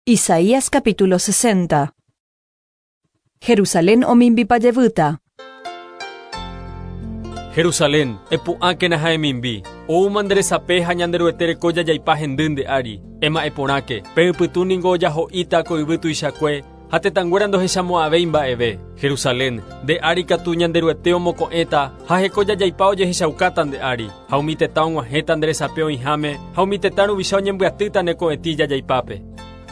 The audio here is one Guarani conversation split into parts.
Isaías capítulo 60. Jerusalén omimbipa jevýta. Jerusalén, epu'ãkena ha emimbi. Oúma nde resape ha Ñanderuete reko jajaipa hendy nde ári. Ema'ẽ porãke, pe ypytũ ningo ojaho'íta ko yvy tuichakue, ha tetãnguéra ndohechamo'ãvéi mba'eve. Jerusalén, nde ári katu Ñanderuete omoko'ẽta ha heko jajaipa ojehechaukáta nde ári, ha umi tetã og̃uahẽta nde resape oĩháme, ha umi tetã ruvicha oñembyatýta ne ko'ẽtĩ jajaipápe.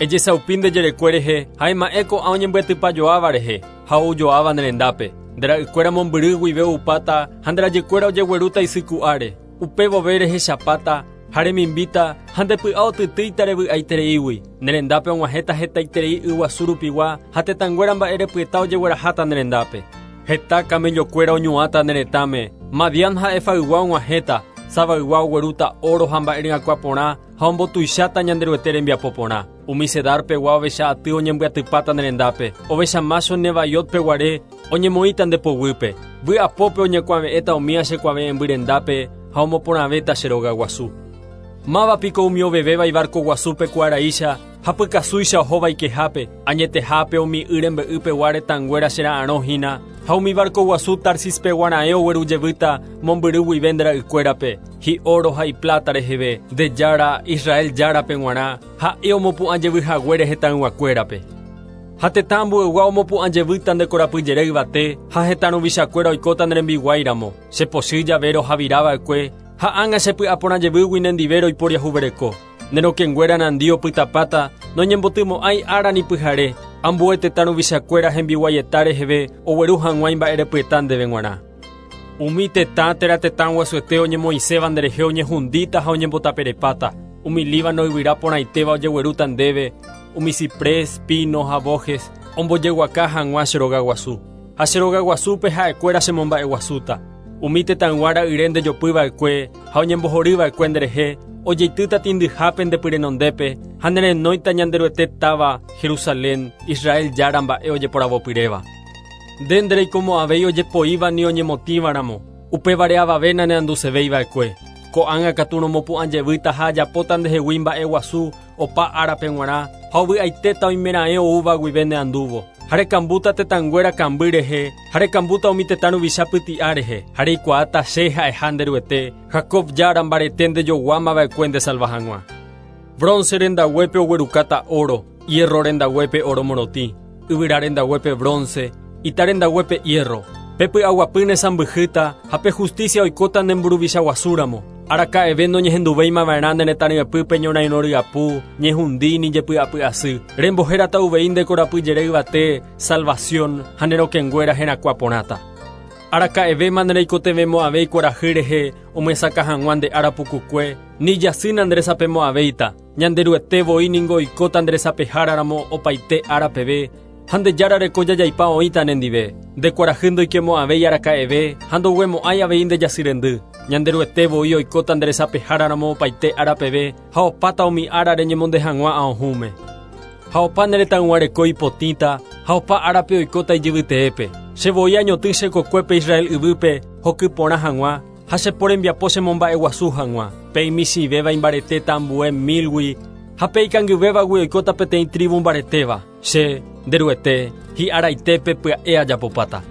Ejesaupi nde jerekue rehe ha ema'ẽ ko'ã oñembyatypajoáva rehe ha oujoáva ne rendápe. Nde ra'ykuéra mombyry guive oupáta ha nde rajykuéra ojeguerúta isy ku'áre. Upe vove rehechapáta ha remimbíta ha nde py'a otytýita revy'aitereígui. Ne rendápe og̃uahẽta hetaiterei yguasu rupigua ha tetãnguéra mba'erepyeta ojegueraháta ne rendápe. Heta kamellokuéra oñu'ãta ne retãme, Madián ha Efaygua og̃uahẽta, Sabaygua oguerúta óro ha mba'e ryakuã porã ha ombotuicháta Ñanderuete rembiapo porã. Umi Cedar pegua ovecha aty oñembyatypáta ne rendápe, ovecha mácho Nebaiot peguare oñemoĩta nde poguýpe. Vy'apópe oñekuave'ẽta umíva che kuave'ẽmby rendápe ha omoporãvéta che róga guasu. Máva piko umi ovevéva ivarko guasúpe ku araícha ha pykasúicha ohóva ikehápe, añetehápe umi y rembe'y pegua retãnguéra che ra'arõ hína, ha umi varko guasu Tarsis pegua raẽ ogueru jevýta mombyry guive nde ra'ykuérape, hi'óro ha ipláta reheve, nde Jára, Israel Járape g̃uarã, ha'e omopu'ã jevy haguére hetãyguakuérape. Ha tetã ambueygua omopu'ã jevýta nde korapyjere yvate, ha hetã ruvichakuéra oikóta ne rembiguái ramo. Che pochy jave rohavira va'ekue, ha ág̃a che py'a porã jevýgui nendive roiporiahuvereko. Ne rokẽnguéra nandi opytapáta, noñembotymo'ãi ára ni pyhare, ambue tetã ruvichakuéra hembiguaieta reheve ogueru hag̃ua imba'erepyeta ndéve g̃uarã. Umi tetã térã tetã guasuete oñemoĩséva nderehe oñehundíta ha oñembotaperepáta, umi Líbano yvyra porãitéva ojeguerúta ndéve, umi ciprés, pino ha bojes, ombojeguaka hag̃ua che rogaguasu. Ha che rogaguasúpe ha'ekuéra chemomba'eguasúta. Umi tetãygua ra'yre ndejopy va'ekue ha oñembohory va'ekue nderehe, ojeitýta tĩndyhápe nde py renondépe ha nerenóita Ñanderuete táva, Jerusalén, Israel Jára mba'e ojeporavopyréva. Nde ndereikomo'ãvéi ojepoíva ni oñemotĩva ramo, upévare avave naneandusevéi va'ekue. Ko'ág̃a katu romopu'ã jevýta ha ajapóta ndehegui mba'e guasu opa árape g̃uarã ha ovy'aitéta oimeraẽ oúva guive neandúvo. Ha rekambúta tetãnguéra kamby rehe, ha rekambúta umi tetã ruvicha pyti'a rehe, ha reikuaáta che ha'eha nde Ruete, Jacob Jára mbarete ndejoguáma va'ekue ndesalva hag̃ua. Bronce rendaguépe oguerukáta óro, hierro rendaguépe óro morotĩ, yvyra rendaguépe bronce, ita rendaguépe hierro. Pe py'aguapy ne sãmbyhýta ha pe justícia oikóta ne mburuvicha guasúramo. Araka'eve noñehenduvéima va'erã ne retã ryepýpe ñorairõ ryapu, ñehundi ni jepy'apy asy. Rembohérata uvei nde korapy jere yvate, salvación, ha ne rokẽnguéra herakuã porãta. Araka'evéma nereikotevẽmo'ãvéi kuarahy rehe omyesakã hag̃ua nde ára pukukue, ni jasy nanderesapemo'ãvéita. Ñanderuete voi ningo oikóta nde resapehára ramo opaite ára peve, ha nde Jára reko jajaipa oĩta nendive. Nde kuarahy ndoikemo'ãvéi araka'eve ha ndoguemo'ãi avei nde jasy rendy. Ñanderuete voi oikóta nde resapehára ramo opaite ára peve ha opáta umi ára reñemonde hag̃ua aohũme. Ha opa ne retãygua reko ipotĩta ha opa árape oikóta ijyvyteépe. Che voi añotỹ che kokuépe Israel yvýpe hoky porã hag̃ua, ha che po rembiapo chemomba'eguasu hag̃ua. Pe imichĩvéva imbaretéta ambue mílgui, ha pe ikangyvévagui oikóta peteĩ trívu mbaretéva. Che, nde Ruete, hi'araitépe pya'e ajapopáta.